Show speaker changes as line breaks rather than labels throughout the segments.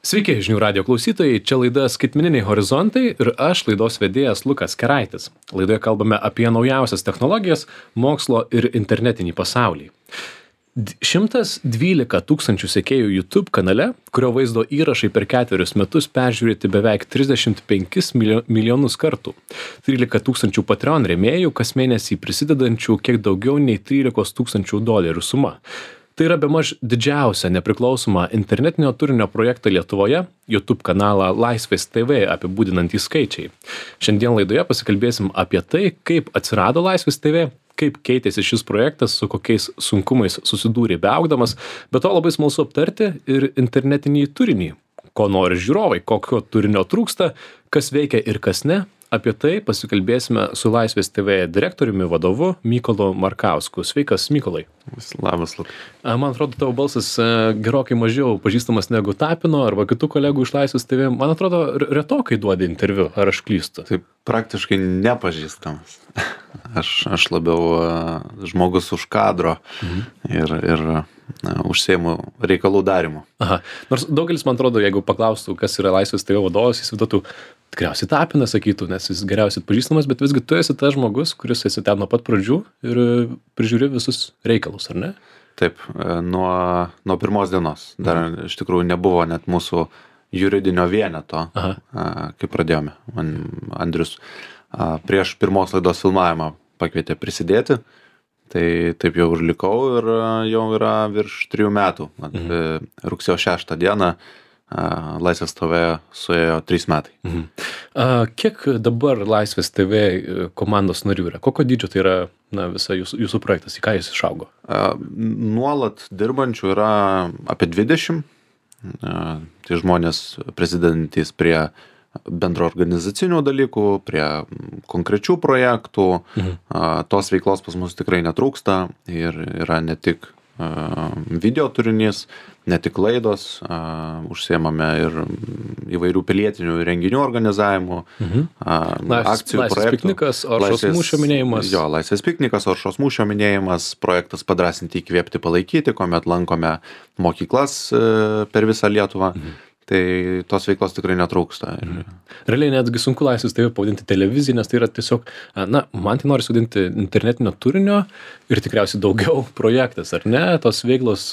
Sveiki, žinių radio klausytojai, čia laida Skaitmeniniai horizontai ir aš laidos vedėjas Lukas Keraitis. Laidoje kalbame apie naujausias technologijas, mokslo ir internetinį pasaulį. 112 tūkstančių sekėjų YouTube kanale, kurio vaizdo įrašai per 4 metus peržiūrėti beveik 35 milijonus kartų. 13 tūkstančių Patreon rėmėjų, kas mėnesį prisidedančių kiek daugiau nei 13 tūkstančių dolerių suma. Tai yra bemaž didžiausia nepriklausoma internetinio turinio projektą Lietuvoje, YouTube kanalą Laisvės TV apibūdinantys skaičiai. Šiandien laidoje pasikalbėsim apie tai, kaip atsirado Laisvės TV, kaip keitėsi šis projektas, su kokiais sunkumais susidūrė beaugdamas, bet to labai smalsu aptarti ir internetinį turinį, ko nori žiūrovai, kokio turinio trūksta, kas veikia ir kas ne. Apie tai pasikalbėsime su Laisvės TV direktoriumi vadovu Mykolu Markausku. Sveikas, Mykolai.
Labas, Lukai.
Man atrodo, tavo balsas gerokai mažiau pažįstamas negu Tapino arba kitų kolegų iš Laisvės TV. Man atrodo, retokai duodi interviu, ar aš klystu?
Tai praktiškai nepažįstamas. Aš labiau žmogus už kadro ir užsiemu reikalų darymu.
Aha. Nors daugelis, man atrodo, jeigu paklaustų, kas yra Laisvės TV vadovas, jis viduotų tikriausiai Tapiną sakytų, nes jis geriausiai pažįstamas, bet visgi tu esi tas žmogus, kuris esi ten nuo pat pradžių ir prižiūri visus reikalus, ar ne?
Taip, nuo pirmos dienos. Dar iš tikrųjų nebuvo net mūsų juridinio vieneto, kai pradėjome. Andrius prieš pirmos laidos filmavimą pakvietė prisidėti, tai taip jau ir likau ir jau yra virš 3 metų. Rugsėjo 6 dieną Laisvės TV suėjo 3 metai.
Kiek dabar Laisvės TV komandos narių yra? Kokio dydžio tai yra visa jūsų projektas? Į ką jis išaugo?
Nuolat dirbančių yra apie 20. Tai žmonės prisidedantys prie bendro organizacinių dalykų, prie konkrečių projektų. Tos veiklos pas mus tikrai netrūksta ir yra ne tik video turinys, ne tik laidos, užsiemame ir įvairių pilietinių renginių organizavimu, akcijų projektų.
Laisvės piknikas, Oršos mūšio minėjimas.
Jo, Laisvės piknikas, Oršos mūšio minėjimas, projektas Padrąsinti, įkvėpti, palaikyti, kuomet lankome mokyklas per visą Lietuvą. Tai tos veiklos tikrai netrūksta.
Realiai netgi sunku Laisvės TV pavadinti televiziją, nes tai yra tiesiog, man tai nori sudinti internetinio turinio ir tikriausiai daugiau projektas, ar ne? Tos veiklos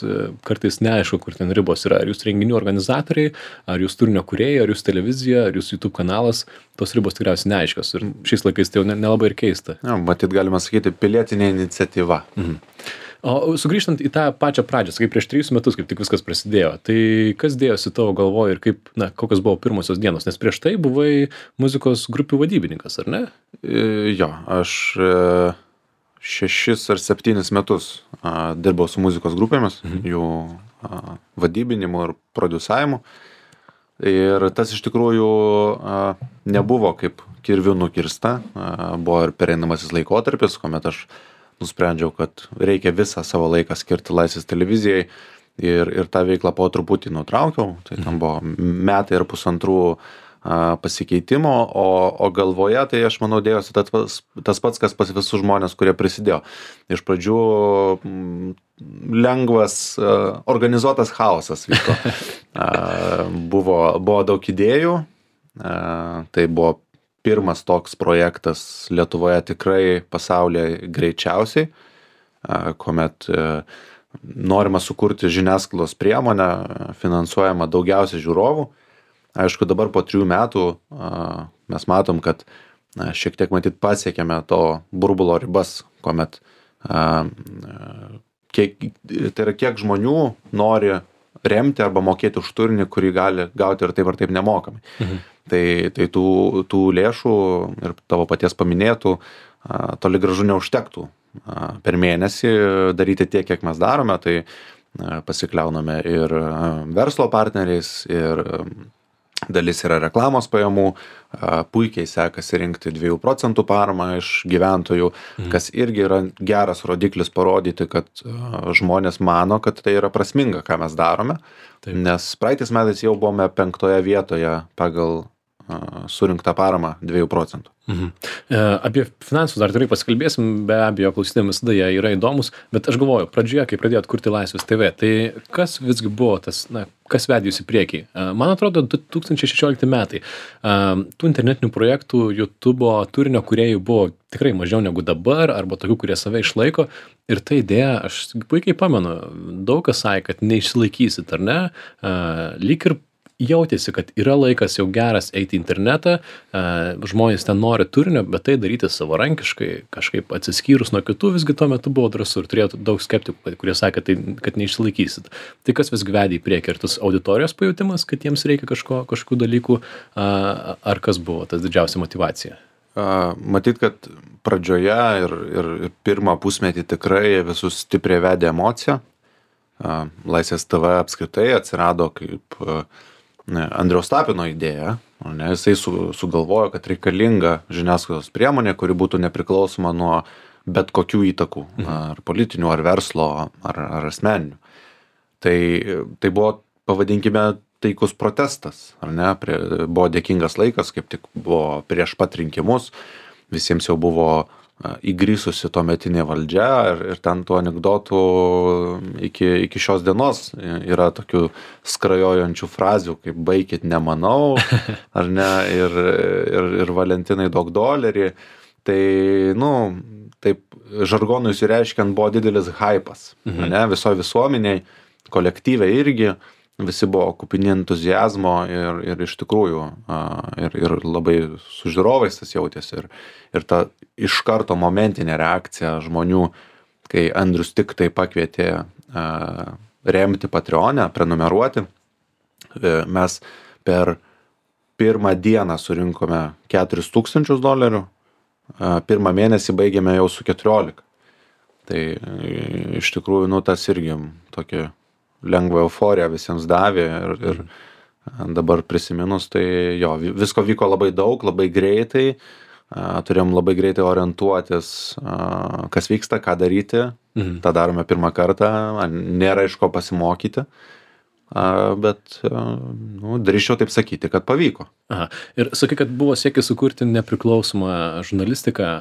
kartais neaišku, kur ten ribos yra. Ar jūs renginių organizatoriai, ar jūs turinio kūrėjai, ar jūs televizija, ar jūs YouTube kanalas, tos ribos tikriausiai neaiškios. Ir šiais laikais tai jau nelabai ir keista.
Matyt, galima sakyti, pilietinė iniciatyva.
O sugrįžtant į tą pačią pradžią, sakai, prieš 3 metus, kaip tik viskas prasidėjo, tai kas dėjosi tavo galvoje ir kokios buvo pirmosios dienos? Nes prieš tai buvai muzikos grupių vadybininkas, ar ne?
Jo, aš 6 ar 7 metus dirbau su muzikos grupėmis, jų vadybinimu ir produsavimu. Ir tas iš tikrųjų nebuvo kaip kirviu nukirsta, buvo ir pereinamasis laikotarpis, kuomet aš nusprendžiau, kad reikia visą savo laiką skirti Laisvės televizijai ir tą veiklą po truputį nutraukiau. Tai tam buvo 1.5 metų pasikeitimo, o galvoje tai aš manau dėjosi tas pats, kas pas visus žmonės, kurie prisidėjo. Iš pradžių lengvas, organizuotas chaosas vyko. Buvo daug idėjų, tai buvo pirmas toks projektas Lietuvoje, tikrai pasaulyje greičiausiai, kuomet norima sukurti žiniasklaidos priemonę, finansuojama daugiausiai žiūrovų. Aišku, dabar po 3 metų mes matom, kad šiek tiek matyt pasiekėme to burbulo ribas, kuomet tai yra kiek žmonių nori remti arba mokėti už turinį, kurį gali gauti ir taip nemokamai. Tai tų lėšų ir tavo paties paminėtų toli gražu neužtektų per mėnesį daryti tiek, kiek mes darome, tai pasikliauname ir verslo partneriais, ir dalis yra reklamos pajamų, puikiai sekasi rinkti 2 procentų paramą iš gyventojų, kas irgi yra geras rodiklis parodyti, kad žmonės mano, kad tai yra prasminga, ką mes darome. Taip. Nes praeitais metais jau buvome 5 vietoje pagal surinktą paramą 2%.
Apie finansus dar tikrai pasikalbėsim, be abejo, klausytėm visada jie yra įdomus, bet aš galvoju, pradžioje, kai pradėjot kurti Laisvės TV, tai kas visgi buvo tas, kas vedė jūs į priekį? Man atrodo, 2016 metai. Tų internetinių projektų, YouTube'o turinio kūrėjų buvo tikrai mažiau negu dabar, arba tokių, kurie save išlaiko. Ir ta idėja, aš puikiai pamenu, daug kas sakė, kad neišsilaikysit, ar ne? Lyg ir jautėsi, kad yra laikas jau geras eiti į internetą, žmonės ten nori turinio, bet tai daryti savarankiškai, kažkaip atsiskyrus nuo kitų, visgi tuo metu buvo drąsu ir turėjo daug skeptikų, kurie sakė, kad neišsilaikysit. Tai kas visgi vedė į priekį? Ar tas auditorijos pajutimas, kad jiems reikia kažkokių dalykų, ar kas buvo tas didžiausia motyvacija?
Matyt, kad pradžioje ir pirmą pusmetį tikrai visus stipriai vedė emocija. Laisvės TV apskritai atsirado kaip Andriaus Tapino idėja, jisai sugalvojo, kad reikalinga žiniasklaidos priemonė, kuri būtų nepriklausoma nuo bet kokių įtakų, ar politinių, ar verslo, ar asmeninių. Tai buvo, pavadinkime, taikus protestas, ar ne? Buvo dėkingas laikas, kaip tik buvo prieš pat rinkimus, visiems jau buvo įgrisusi tuometinė valdžia ir ten tų anekdotų iki šios dienos yra tokių skrajojančių frazių, kaip baikit nemanau, ar ne, ir Valentinai duok dolerį. Tai, taip, žargonui išreiškiant buvo didelis hypas, ne, visoje visuomeniai, kolektyve irgi, visi buvo kupini entuziazmo ir iš tikrųjų ir labai su žiūrovais tas jautėsi ir ta iš karto momentinė reakcija žmonių, kai Andrius tik tai pakvietė remti Patreonę, prenumeruoti. Mes per pirmą dieną surinkome $4,000, pirmą mėnesį baigėme jau su 14. Tai iš tikrųjų, tas irgi tokia lengva euforija visiems davė ir dabar prisiminus, tai jo, visko vyko labai daug, labai greitai, turėjom labai greitai orientuotis, kas vyksta, ką daryti, tą darome pirmą kartą, nėra iš ko pasimokyti, bet drįsčiau taip sakyti, kad pavyko.
Aha. Ir sakai, kad buvo siekis sukurti nepriklausomą žurnalistiką.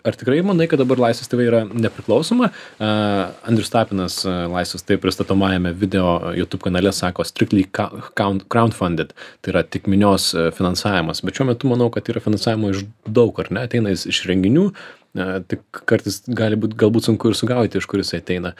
Ar tikrai manai, kad dabar Laisvės TV yra nepriklausoma? Andrius Tapinas Laisvės TV pristatomajame video YouTube kanale sako strictly crowdfunded, tai yra tik minios finansavimas, bet šiuo metu manau, kad yra finansavimo iš daug, ar ne, ateina jis iš renginių, tik kartais gali būti galbūt sunku ir sugauti, iš kur jis ateina,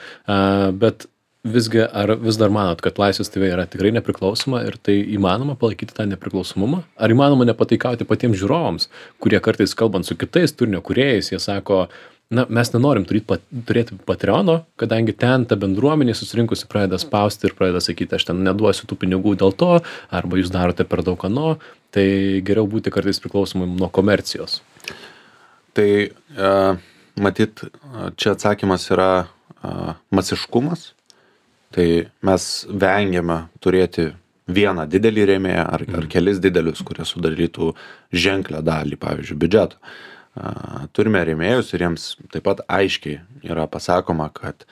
bet visgi, ar vis dar manot, kad Laisvės TV yra tikrai nepriklausoma ir tai įmanoma palaikyti tą nepriklausomumą? Ar įmanoma nepataikauti patiems žiūrovams, kurie kartais kalbant su kitais turinio kūrėjais, jie sako, mes nenorim turėti Patreono, kadangi ten ta bendruomenė susirinkusi pradeda spausti ir pradeda sakyti, aš ten neduosiu tų pinigų dėl to, arba jūs darote per daug ano, tai geriau būti kartais priklausomai nuo komercijos.
Tai matyt, čia atsakymas yra masiškumas. Tai mes vengiame turėti vieną didelį rėmėją ar kelis didelius, kurie sudarytų ženklę dalį, pavyzdžiui, biudžeto. Turime rėmėjus ir jiems taip pat aiškiai yra pasakoma, kad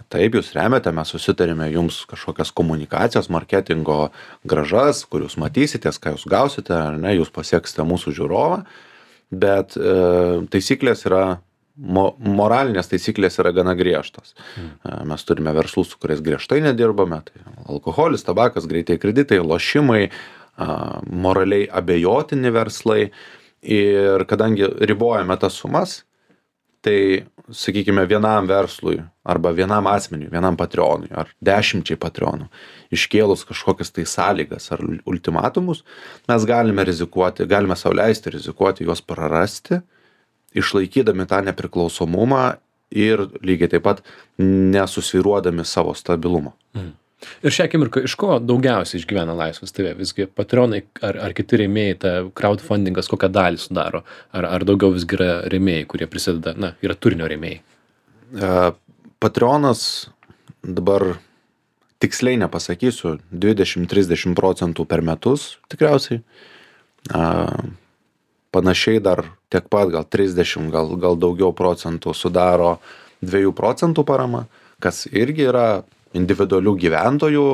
taip, jūs remiate, mes susitarėme jums kažkokias komunikacijos, marketingo grąžas, kur jūs matysitės, ką jūs gausite, ar ne, jūs pasieksite mūsų žiūrovą, bet taisyklės yra moralinės taisyklės yra gana griežtos. Mes turime verslus, su kuriais griežtai nedirbame, tai alkoholis, tabakas, greitai kreditai, lošimai, moraliai abejotini verslai ir kadangi ribojame tas sumas, tai, sakykime, vienam verslui arba vienam asmeniui, vienam Patreonui ar 10 Patreonų iškėlus kažkokias tai sąlygas ar ultimatumus, mes galime rizikuoti, galime sau leisti rizikuoti juos prarasti, išlaikydami tą nepriklausomumą ir lygiai taip pat nesusvyruodami savo stabilumo.
Ir šią akimirką iš ko daugiausiai išgyvena Laisvės TV? Visgi Patreonai ar kiti rėmėjai, ta crowdfundingas kokią dalį sudaro? Ar daugiau visgi yra rėmėjai, kurie prisideda, yra turinio rėmėjai?
Patreonas dabar tiksliai nepasakysiu, 20-30% per metus tikriausiai. Panašiai dar tiek pat, gal 30, gal daugiau procentų sudaro 2% parama, kas irgi yra individualių gyventojų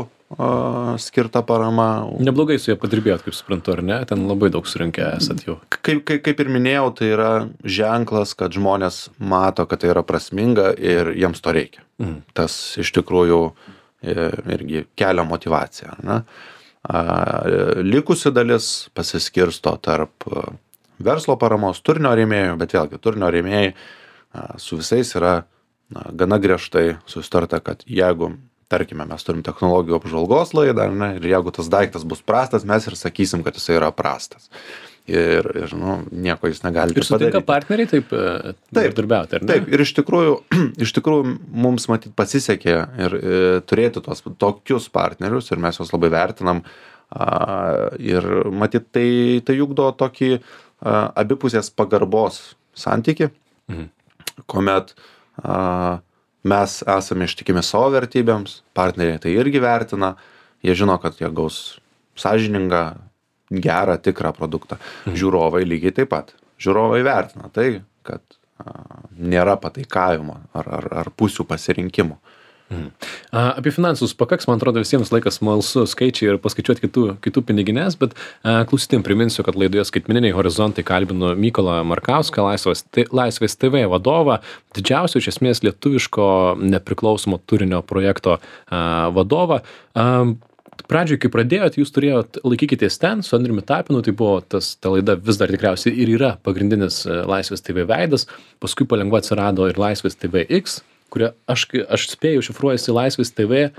skirta parama.
Neblogai su jie padirbėjot, kaip suprantu, ar ne? Ten labai daug surinkę esat jau.
Kaip ir minėjau, tai yra ženklas, kad žmonės mato, kad tai yra prasminga ir jiems to reikia. Tas iš tikrųjų irgi kelia motyvaciją. Ne? Likusi dalis pasiskirsto tarp verslo paramos, turinio rėmėjų, bet vėlgi turinio rėmėjai su visais yra gana griežtai susitarta, kad jeigu, tarkime, mes turim technologijų apžvalgos laidą, ne, ir jeigu tas daiktas bus prastas, mes ir sakysim, kad jisai yra prastas. Ir nieko jis negali padaryti.
Ir sutinka partneriai taip darbiauti, ar ne?
Taip, ir iš tikrųjų mums matyt pasisekė ir turėti tokius partnerius ir mes juos labai vertinam. Ir matyt tai ugdo tokį abipusės pagarbos santykį, kuomet mes esame ištikimi savo vertybėms, partneriai tai irgi vertina, jie žino, kad jie gaus sąžiningą, gerą, tikrą produktą. Žiūrovai lygiai taip pat. Žiūrovai vertina tai, kad nėra pataikavimo ar pusių pasirinkimų.
Apie finansus pakaks, man atrodo, visiems laikas smalsu skaičiai ir paskaičiuoti kitų piniginės, bet klausytėm priminsiu, kad laidoje Skaitmeniniai horizontai kalbinu Mykolą Markauską, Laisvės TV vadovą, didžiausio iš esmės lietuviško nepriklausomo turinio projekto vadovą. Pradžioj, kai pradėjot, jūs turėjot Laikykitės ten su Andriumi Tapinu, tai buvo ta laida vis dar tikriausiai ir yra pagrindinis Laisvės TV veidas, paskui palengva atsirado ir Laisvės TV X, kuria aš spėju šifruojasi Laisvės TV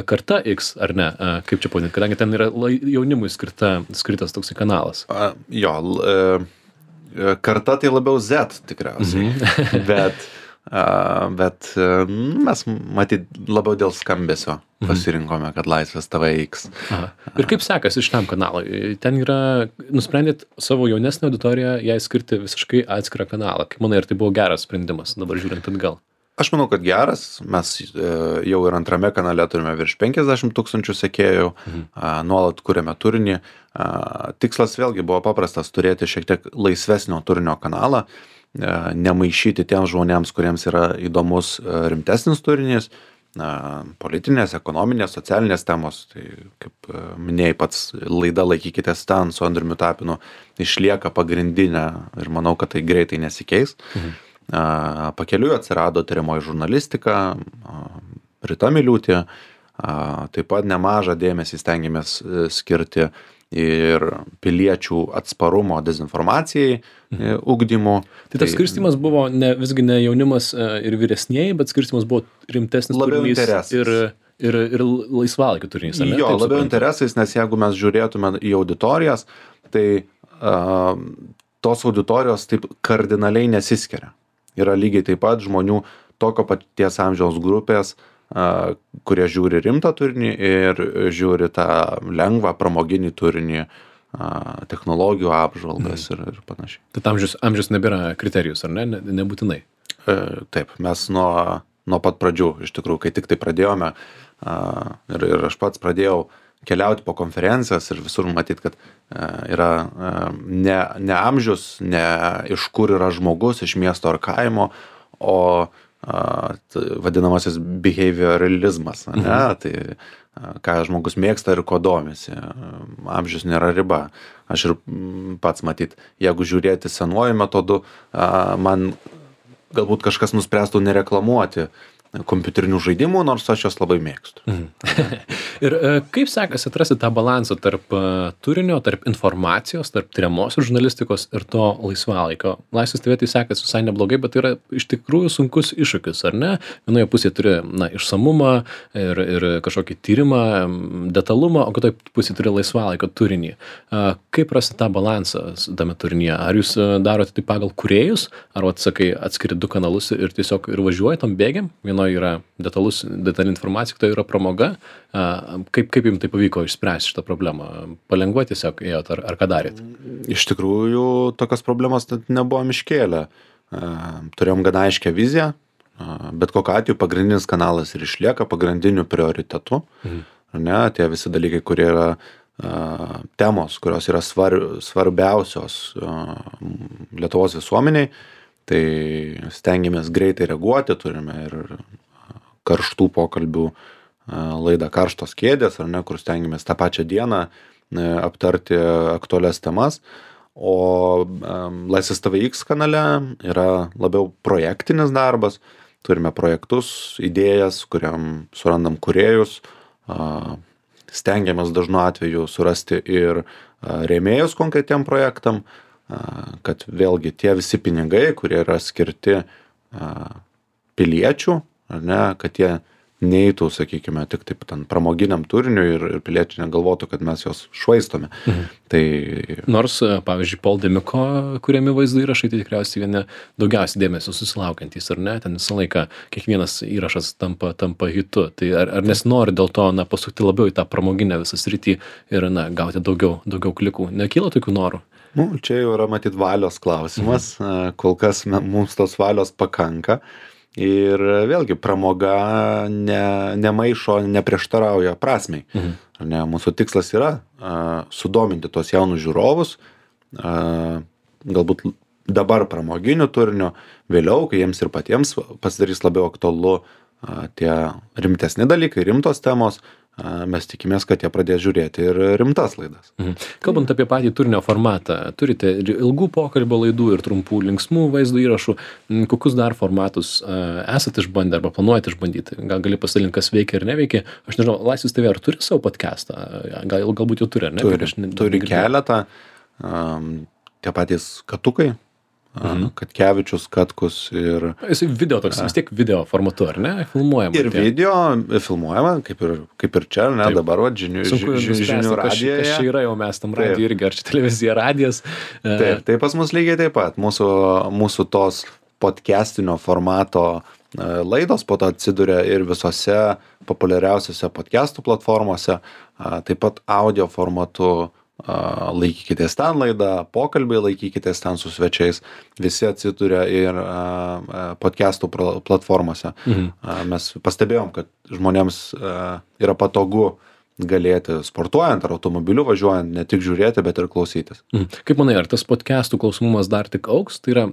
karta X, ar ne? Kaip čia pavadinti, kadangi ten yra jaunimui skirtas toksai kanalas.
Karta tai labiau Z tikriausiai, bet mes matyt labiau dėl skambesio pasirinkome, kad Laisvės TV X.
Ir kaip sekasi šitam kanalui? Ten nusprendėt savo jaunesnę auditoriją jai skirti visiškai atskirą kanalą. Kaip manai, ar tai buvo geras sprendimas, dabar žiūrint atgal?
Aš manau, kad geras. Mes jau ir antrame kanale turime virš 50 000 sekėjų, nuolat kuriame turinį. Tikslas vėlgi buvo paprastas - turėti šiek tiek laisvesnio turinio kanalą, nemaišyti tiems žmonėms, kuriems yra įdomus rimtesnis turinys, politinės, ekonominės, socialinės temos. Tai, kaip minėjai pats, laida Laikykitės ten su Andriumi Tapinu išlieka pagrindinė ir manau, kad tai greitai nesikeis. Pakeliui atsirado tiriamoji žurnalistika, Rita Miliūtė, taip pat nemažą dėmesį stengiamės skirti ir piliečių atsparumo dezinformacijai ugdymu.
Tai tas skirstymas buvo visgi ne jaunimas ir vyresnieji, bet skirstymas buvo rimtesnis turinys ir laisvalaikio turinys.
Jo, labiau interesais, nes jeigu mes žiūrėtume į auditorijas, tai tos auditorijos taip kardinaliai nesiskiria. Yra lygiai taip pat žmonių tokio paties amžiaus grupės, kurie žiūri rimtą turinį ir žiūri tą lengvą pramoginį turinį, technologijų apžvalgas ir panašiai.
Tai amžius nebėra kriterijus, ar ne? Nebūtinai.
Taip, mes nuo pat pradžių, iš tikrųjų, kai tik tai pradėjome, ir aš pats pradėjau keliauti po konferencijas ir visur matyt, kad yra ne amžius, ne iš kur yra žmogus, iš miesto ar kaimo, o vadinamasis behavioralizmas, ne? Tai ką žmogus mėgsta ir ko domisi. Amžius nėra riba. Aš ir pats matyt, jeigu žiūrėti senuoju metodu, man galbūt kažkas nuspręstų nereklamuoti kompiuterinių žaidimų, nors aš juos labai mėgstu.
Ir kaip sekasi atrasti tą balansą tarp turinio, tarp informacijos, tarp tiriamosios žurnalistikos ir to laisvalaikio? Laisvės TV tai sekasi visai neblogai, bet tai yra iš tikrųjų sunkus iššūkis, ar ne? Vienoje pusėje turi išsamumą ir kažkokį tyrimą, detalumą, o kitoje pusėje turi laisvalaikio turinį. Kaip rasti tą balansą tame turinyje? Ar jūs darote tai pagal kūrėjus, ar atsakai atskiri du kanalus ir tiesiog ir važiuoji tam bėgiam? Vienoje yra detali informacija, kitoje yra pramoga. Kaip jums tai pavyko išspręsti šitą problemą? Palengva tiesiog ėjot ar ką darėt?
Iš tikrųjų, tokios problemos nebuvom iškėlę. Turėjom gana aiškę viziją, bet kokiu atveju pagrindinis kanalas ir išlieka pagrindiniu prioritetu. Ne, tie visi dalykai, kurie yra temos, kurios yra svarbiausios Lietuvos visuomeniai, tai stengiamės greitai reaguoti, turime ir karštų pokalbių laidą Karštos kėdės, ar ne, kur stengiamės tą pačią dieną aptarti aktualias temas. O Laisvės TV X kanale yra labiau projektinis darbas. Turime projektus, idėjas, kuriam surandam kūrėjus, stengiamės dažnu atveju surasti ir rėmėjus konkretiem projektam, kad vėlgi tie visi pinigai, kurie yra skirti piliečių, ar ne, kad jie neitų, sakykime, tik taip ten pramoginiam turiniui ir piliečiai negalvotų, kad mes juos švaistome. Tai
Nors, pavyzdžiui, Paul Demiko kuriami vaizdo įrašai, tai tikriausiai vieni daugiausiai dėmesio susilaukantys, ar ne? Ten visą laiką kiekvienas įrašas tampa hitu. Tai ar nesinori dėl to, pasukti labiau į tą pramoginę visą sritį ir, gauti daugiau klikų? Nekyla tokių norų?
Čia jau yra matyt valios klausimas. Kol kas mums tos valios pakanka. Ir vėlgi pramoga nemaišo, neprieštarauja prasmei. Ne, mūsų tikslas yra sudominti tuos jaunus žiūrovus, galbūt dabar pramoginiu turiniu, vėliau, kai jiems ir patiems pasidarys labiau aktualu tie rimtesni dalykai, rimtos temos, mes tikimės, kad jie pradės žiūrėti ir rimtas laidas.
Kalbant apie patį turinio formatą, turite ir ilgų pokalbio laidų ir trumpų linksmų vaizdo įrašų. Kokius dar formatus esate išbandę arba planuojate išbandyti? Gal gali pasidalinti, kas veikia ir neveikia? Aš nežinau, Laisvės TV ar turi savo podcastą? Galbūt jau turi, ar ne?
Turi keletą. Tie patys Katukai. Katkevičius, Katkus ir...
Jisai video toks, vis tiek video formatu, ar ne? Filmuojama.
Ir video filmuojama, kaip ir čia, ne? Taip. Dabar žinių radijoje.
Kas čia yra jau mes tam radijui irgi, ar čia televizija, radijas?
Taip, tai pas mus lygiai taip pat. Mūsų tos podcastinio formato laidos po to atsiduria ir visose populiariausiose podcastų platformose, taip pat audio formatu. Laikykitės ten laidą, pokalbiai laikykitės ten su svečiais, visi atsiduria ir podcastų platformose. Mes pastebėjom, kad žmonėms yra patogu galėti sportuojant ar automobiliu važiuojant, ne tik žiūrėti, bet ir klausytis.
Kaip manai, ar tas podcastų klausomumas dar tik augs? Tai yra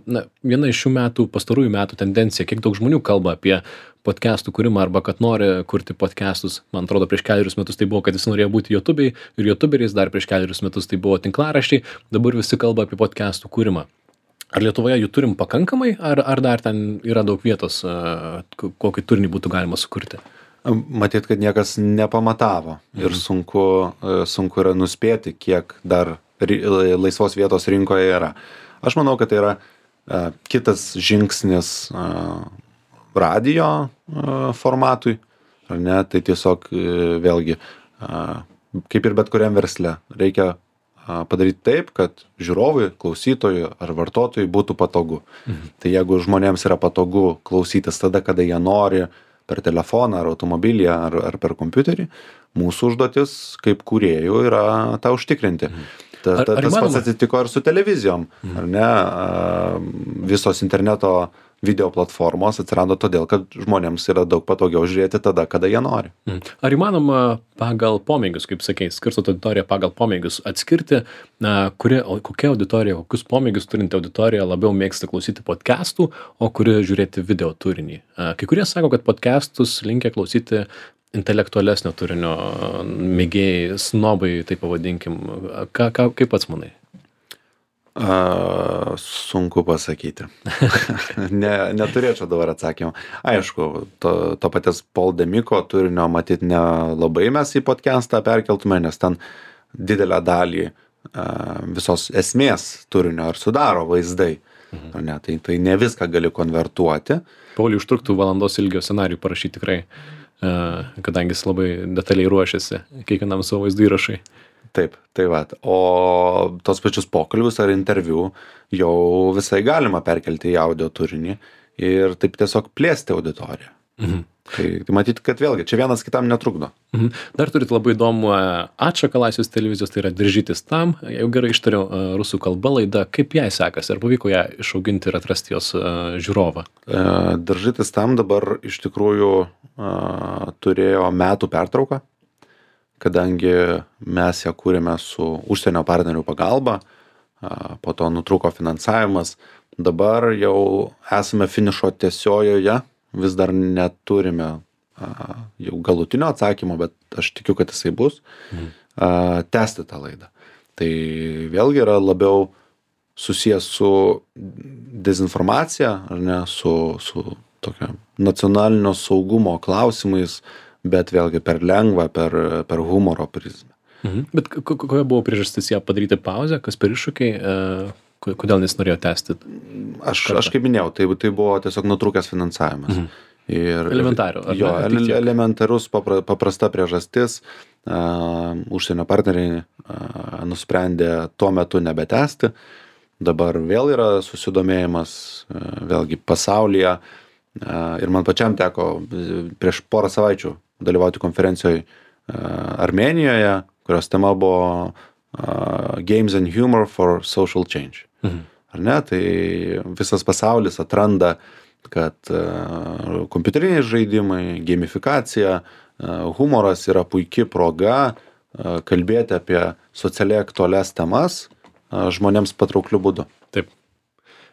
viena iš pastarųjų metų tendencija, kiek daug žmonių kalba apie podcastų kūrimą arba kad nori kurti podcastus. Man atrodo, prieš 4 metus tai buvo, kad jis norėjo būti YouTube'ai ir YouTuberiais, dar prieš 4 metus tai buvo tinklaraščiai, dabar visi kalba apie podcastų kūrimą. Ar Lietuvoje jų turim pakankamai, ar dar ten yra daug vietos, kokį turinį būtų galima sukurti?
Matyt, kad niekas nepamatavo ir sunku yra nuspėti, kiek dar laisvos vietos rinkoje yra. Aš manau, kad tai yra kitas žingsnis radijo formatui, ar ne, tai tiesiog vėlgi, kaip ir bet kuriam versle, reikia padaryti taip, kad žiūrovui, klausytojui ar vartotojui būtų patogu. Tai jeigu žmonėms yra patogu klausytis tada, kada jie nori, per telefoną ar automobilį ar per kompiuterį, mūsų užduotis kaip kūrėjų yra tą užtikrinti. Tas pats atsitiko ir su televizijom, ar ne? Visos interneto video platformos atsirado todėl, kad žmonėms yra daug patogiau žiūrėti tada, kada jie nori.
Ar įmanoma pagal pomėgius, kaip sakei, skirstot auditoriją pagal pomėgius, atskirti, kokia auditorija, kokius pomėgius turinti auditorija labiau mėgsta klausyti podcastų, o kuri žiūrėti video turinį? Kai kurie sako, kad podcastus linkia klausyti intelektualesnio turinio mėgėjai, snobai, taip pavadinkim. Kaip pats manai?
Sunku pasakyti. Neturėčiau dabar atsakymą. Aišku, to paties Paul Demiko turinio matyt nelabai mes į podcastą perkeltume, nes ten didelę dalį visos esmės turinio ar sudaro vaizdai. Ne, tai ne viską gali konvertuoti.
Pauliui užtruktų valandos ilgio scenarijų parašyti tikrai, kadangi jis labai detaliai ruošiasi kiekvienam savo vaizdo įrašai.
Taip, tai va. O tos pačius pokalbius ar interviu jau visai galima perkelti į audio turinį ir taip tiesiog plėsti auditoriją. Tai matyt, kad vėlgi, čia vienas kitam netrukdo.
Dar turit labai įdomų atšaką Laisvės televizijos, tai yra Diržytis tam, jau gerai ištariau rusų kalba laida, kaip jai sekasi, ar pavyko ją išauginti ir atrasti jos žiūrovą?
Diržytis tam dabar iš tikrųjų turėjo metų pertrauką, kadangi mes ją kūrėme su užsienio partnerių pagalba, po to nutrūko finansavimas, dabar jau esame finišo tiesiojoje, vis dar neturime jau galutinio atsakymo, bet aš tikiu, kad jisai bus, tęsti tą laidą. Tai vėlgi yra labiau susijęs su dezinformacija, ar ne, su tokia nacionalinio saugumo klausimais, bet vėlgi per lengvą, per humoro prizmę.
Bet kokia buvo priežastis ją padaryti pauzę, kas per iššūkiai, kodėl nesinorėjo tęsti?
Aš kaip minėjau, tai buvo tiesiog nutrūkęs finansavimas.
Elementariu.
Jo, elementarus paprasta priežastis. Užsienio partneriai nusprendė tuo metu nebetęsti. Dabar vėl yra susidomėjimas, vėlgi pasaulyje. Ir man pačiam teko prieš porą savaičių dalyvauti konferencijoje Armėnijoje, kurios tema buvo Games and Humor for Social Change. Ar ne? Tai visas pasaulis atranda, kad kompiuteriniai žaidimai, gamifikacija, humoras yra puikia proga kalbėti apie socialiai aktualias temas žmonėms patraukliu būdu.
Taip.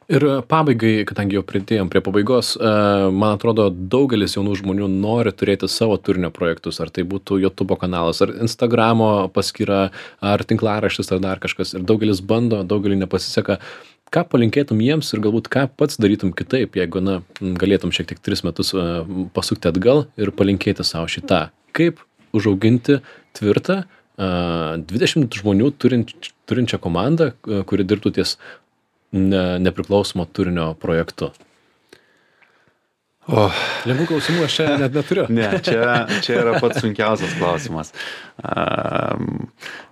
Ir pabaigai, kadangi jau pridėjom prie pabaigos, man atrodo, daugelis jaunų žmonių nori turėti savo turinio projektus, ar tai būtų YouTube kanalas, ar Instagramo paskyra, ar tinklaraštis, ar dar kažkas. Ir daugelis bando, daugelį nepasiseka. Ką palinkėtum jiems ir galbūt ką pats darytum kitaip, jeigu galėtum šiek tiek 3 metus pasukti atgal ir palinkėti savo šitą? Kaip užauginti tvirtą 20 žmonių turinčią komandą, kuri dirbtų ties nepriklausomo turinio projektu? Lengvų klausimų aš čia net neturiu.
Ne, čia yra pats sunkiausias klausimas.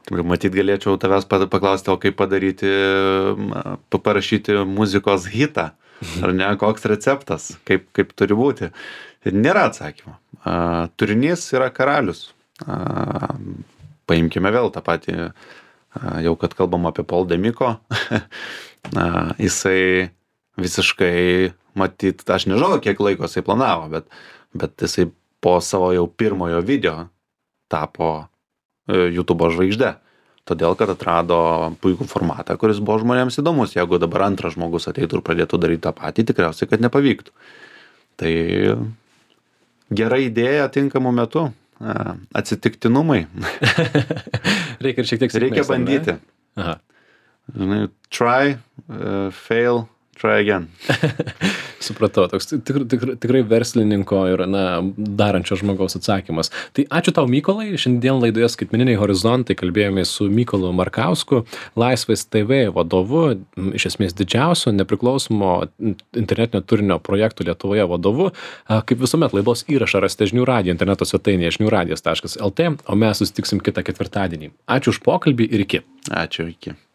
Matyt, galėčiau tavęs paklausti, o kaip parašyti muzikos hitą, ar ne, koks receptas, kaip turi būti. Nėra atsakymo. Turinys yra karalius. Paimkime vėl tą patį, jau kad kalbam apie Paul Demiko, jisai visiškai, matyt, aš nežinau, kiek laiko jisai planavo, bet jisai po savo jau pirmojo video tapo YouTube žvaigžde. Todėl, kad atrado puikų formatą, kuris buvo žmonėms įdomus. Jeigu dabar antras žmogus ateitų ir pradėtų daryti tą patį, tikriausiai, kad nepavyktų. Tai gera idėja tinkamu metu. Atsitiktinumai.
Reikia ir šiek tiek sėkmės.
Reikia bandyti.
Aha.
Try, fail, try again.
Supratau, toks tikrai verslininko ir darančio žmogaus atsakymas. Tai ačiū tau, Mykolai. Šiandien laidoje Skaitmeniniai horizontai kalbėjomės su Mykolu Markausku, Laisvės TV vadovu, iš esmės didžiausio nepriklausomo internetinio turinio projektų Lietuvoje vadovu. Kaip visuomet, laidos įrašą rasite žinių radijo interneto svetainėje žiniųradijas.lt, o mes susitiksim kitą ketvirtadienį. Ačiū už pokalbį ir iki.
Ačiū, iki.